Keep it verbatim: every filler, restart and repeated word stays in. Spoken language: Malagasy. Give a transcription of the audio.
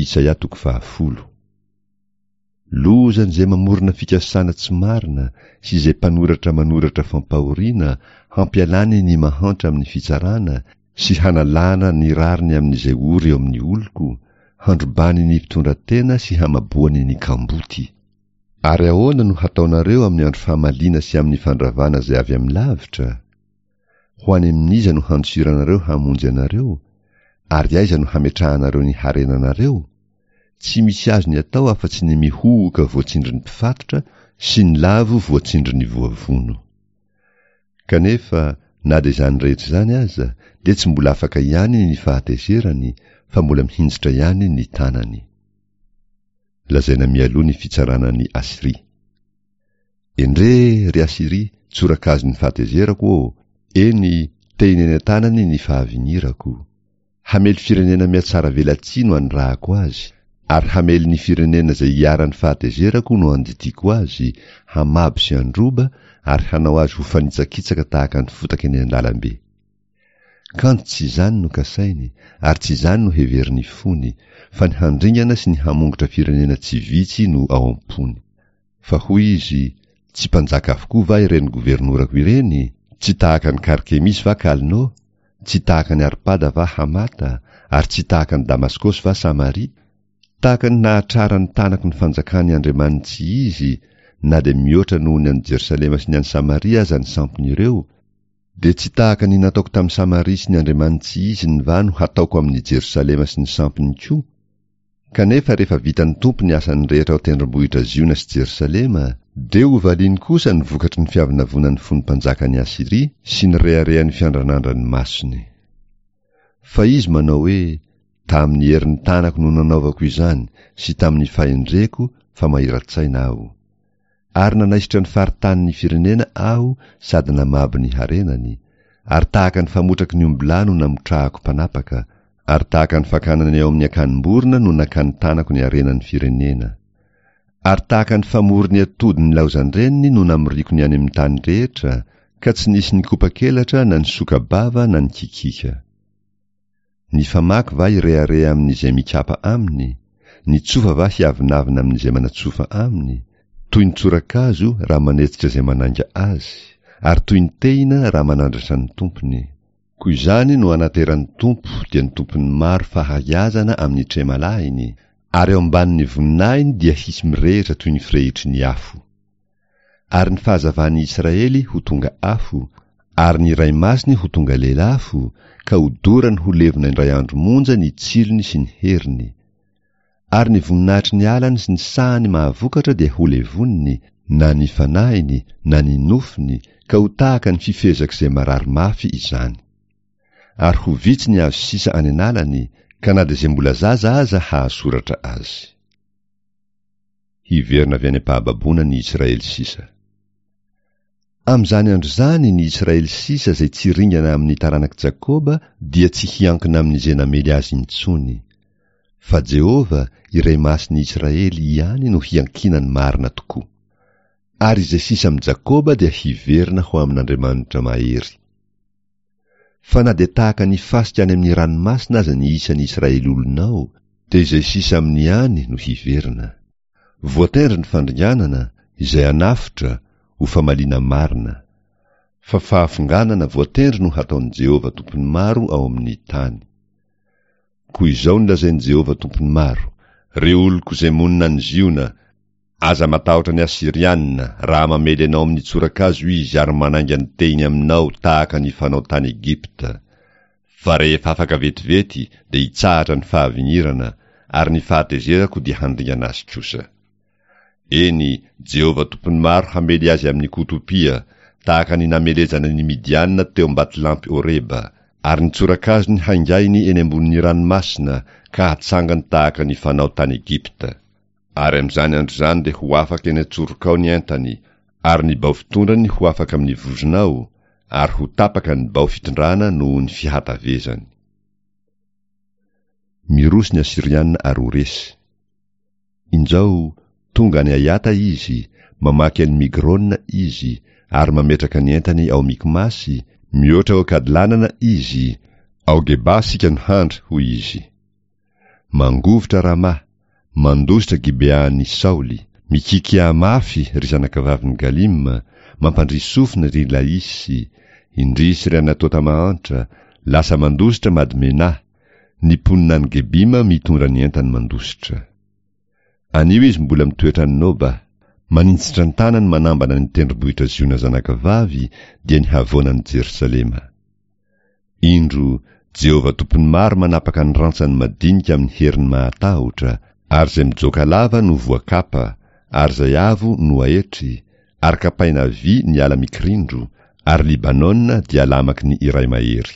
Isaia toko fahafolo. Lozan'izay mamorona fikasana tsy marina sy izay mpanoratra manoratra fampahoriana hampialany ny mahantra amin'ny fitsarana sy hanalana ny rariny amin'izay ory eo amin'ny oloko, handrobany ny mpitondratena sy hamaboany ny kamboty. Ary ahoana no hataonareo amin'ny andro famaliana sy amin'ny fandravana izay avy amin'ny lavitra? Ho any amin'iza no handosiranareo hamonjy anareo? Ary aiza no hametrahanareo ny harenanareo? Tsy misy azony atao afa-tsy ny mihohoka voatsindrin'ny mpifatotra sy ny lavo voatsindrin'ny voavono. Kanefa, na dia izany rehetra izany aza, dia tsy mbola afaka ihany ny fahatezerany, fa mbola mihinjitra ihany ny tanany. Lazaina mialoha ny fitsarana an'i Asyria. Endrey, ry Asyria, tsorakazon'ny fahatezerako ô, eny, tehina eny an-tanany ny fahavinirako. Hamely firenena mihatsara velatsihy no anirahako azy, ary hamely ny firenena izay iharan'ny fahatezerako no andidiako azy, hamabo sy handroba ary hanao azy ho fanitsakitsaka tahaka ny fotaka eny an-dalambe. Kanjo tsy izany no kasainy, ary tsy izany no heverin'ny fony, fa ny handringana sy ny hamongotra firenena tsy vitsy no ao am-pony. Fa hoy izy, Tsy mpanjaka avokoa va ireny governorako ireny? Tsy tahaka an'i Karkemisy va Kalno? Tsy tahaka an'i Arpada va Hamata? Ary tsy tahaka an'i Damaskosy va Samaria? Tahaka ny nahatraran'ny tanako ny fanjakan'ny andriamani-tsy izy, na dia mihoatra noho ny an'i Jerosalema sy ny an'i Samaria aza ny sampin'ireo, dia tsy tahaka ny nataoko tamin'i Samaria sy ny andriamani-tsy iziny va no hataoko amin'i Jerosalema sy ny sampiny koa? Kanefa rehefa vitan'ny Tompo ny asany rehetra ao an-tendrombohitra Ziona sy Jerosalema, dia hovaliany kosa ny vokatry ny fiavonavonan'ny fon'ny mpanjakan'i Asyria sy ny reharehan'ny fiandranandran'ny masony. Fa izy manao hoe, Tamin'ny herin'ny tanako no nanaovako izany sy tamin'ny fahendreko fa mahira-tsaina aho. Ary nanaisotra ny faritanin'ny firenena aho sady namabo ny harenany, ary tahaka ny famotraky ny ombilahy no namotrahako mpanapaka, ary tahaka ny fakana ny ao amin'ny akanim-borona no nakan'ny tanako ny harenan'ny firenena. Ary tahaka ny famory ny atody nilaozan-dreniny no namoriako ny any amin'ny tany rehetra, ka tsy nisy nikopa-kelatra na nisoka-bava na nikikiaka. Ny famaky va hirehareha amin'izay mikapa aminy? Ny tsofa va hiavonavona amin'izay manatsofa aminy? Toy ny tsorakazo raha manetsika izay manainga azy, ary toy ny tehina raha manandratra ny tompony. Koa izany no anateran'ny Tompo, dia ny Tompon'ny maro fahaiazana amin'ny tremalahiny, ary ao ambanin'ny voninahiny dia hisy mirehitra toy ny firehitry ny afo. Ary ny fahazavan'i Israely ho tonga afo, ary ny Iray Masiny ho tonga lelafo, ka hodorany ho levona indray andro monja ny tsilony sy ny heriny. Ary ny voninahitry ny alany sy ny sahany mahavokatra dia holevoniny, na ny fanahiny, na ny nofony, ka ho tahaka ny fifehezak'izay marary mafy izany. Ary ho vitsy ny hazo sisa any an'alany, ka na dia izay mbola zaza aza hahasoratra azy. Hiverina avy any am-pahababoana ny Israely sisa. Amin'izany andro izany ny Israely sisa izay tsy ringana amin'ny taranak'i Jakoba dia tsy hiankina amin'izay namely azy intsony. Fa Jehovah, Iray Masin'ny Israely, ihany no hiankinany marina tokoa. Ary izay sisa amin'i Jakoba dia hiverina ho amin'Andriamanitra mahery. Fa na dia tahaka ny fasika any amin'ny ranomasina aza ny isan'ny Israely olonao, dia izay sisa aminy ihany no hiverina. Voatendry ny fandringanana, izay hanafotra, ho famaliana marina. Fa fahafonganana voatendry no hataon'i Jehovah Tompon'ny maro ao amin'ny tany. Koa izao no lazain'i Jehovah Tompon'ny maro, Ry oloko izay monina any Ziona, aza matahotra ny Asyriana, raha mamely anao amin'ny tsorakazo izy ary manainga ny tehiny aminao tahaka ny fanao tany Egypta. Fa rehefa afaka vetivety dia hitsahatra ny fahavinirana, ary ny fahatezerako dia handringana azy kosa. Eny, Jehovah Tompon'ny maro hamely azy amin'ny kotopia, tahaka ny namelezana ny Midiana teo am-batolampy Oreba, ary ny tsorakazony haingainy eny ambonin'ny ranomasina ka hatsangany tahaka ny fanao tany Egypta. Ary amin'izany andro izany dia ho afaka eny an-tsorokao ny entany, ary ny bao fitondrany ho afaka amin'ny vozonao, ary ho tapaka ny bao fitondrana noho ny fihatavezany. Miroso ny Asyriana ary ho resy. Injao, tonga any Aiata izy, mamaky an'i Migrona izy, ary mametraka ny entany ao Mikmasy, mihoatra ao Kadlanana izy, ao Geba isika no handry, hoy izy. Mangovitra Ramà, mandositra Gibeahan'i Saoly, mikikià mafy, ry zanakavavin'i Galima, mampandria sofina, ry Laisy, indrisy, ry Anatota mahantra, lasa mandositra Madmenà, ny mponina any Gebima mitondra ny entany mandositra. Anio izy mbola mitoetra any Noba, maninjitra ny tanany manambana ny tendrombohitra Ziona zanakavavy, dia ny havoanan'i Jerosalema. Indro, Jehovah Tompon'ny maro manapaka ny rantsany madinika amin'ny heriny mahatahotra, ary izay mijoaka lava no voakapa, ary izay avo no aetry, ary kapaina vy ny ala mikirindro, ary Libanona dia lamaky ny iray mahery.